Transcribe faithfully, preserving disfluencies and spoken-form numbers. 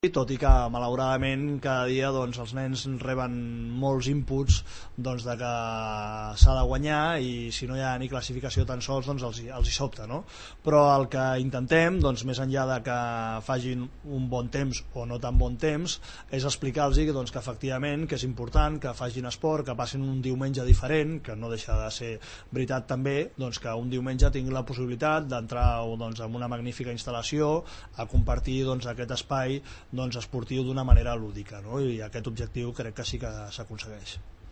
tot i que malauradament cada dia doncs, els nens reben molts inputs doncs, de que s'ha de guanyar i si no hi ha ni classificació tan sols doncs, els, els hi sobta, no? Però el que intentem, doncs, més enllà de que facin un bon temps o no tan bon temps, és explicar-los doncs, que efectivament que és important que facin esport, que passin un diumenge diferent, que no deixa de ser veritat també, doncs, que un diumenge tingui la possibilitat d'entrar doncs, en una magnífica instal·lació a compartir doncs, aquest espai doncs, esportiu d'una manera lúdica, no? I aquest objectiu crec que sí que s'aconsegueix.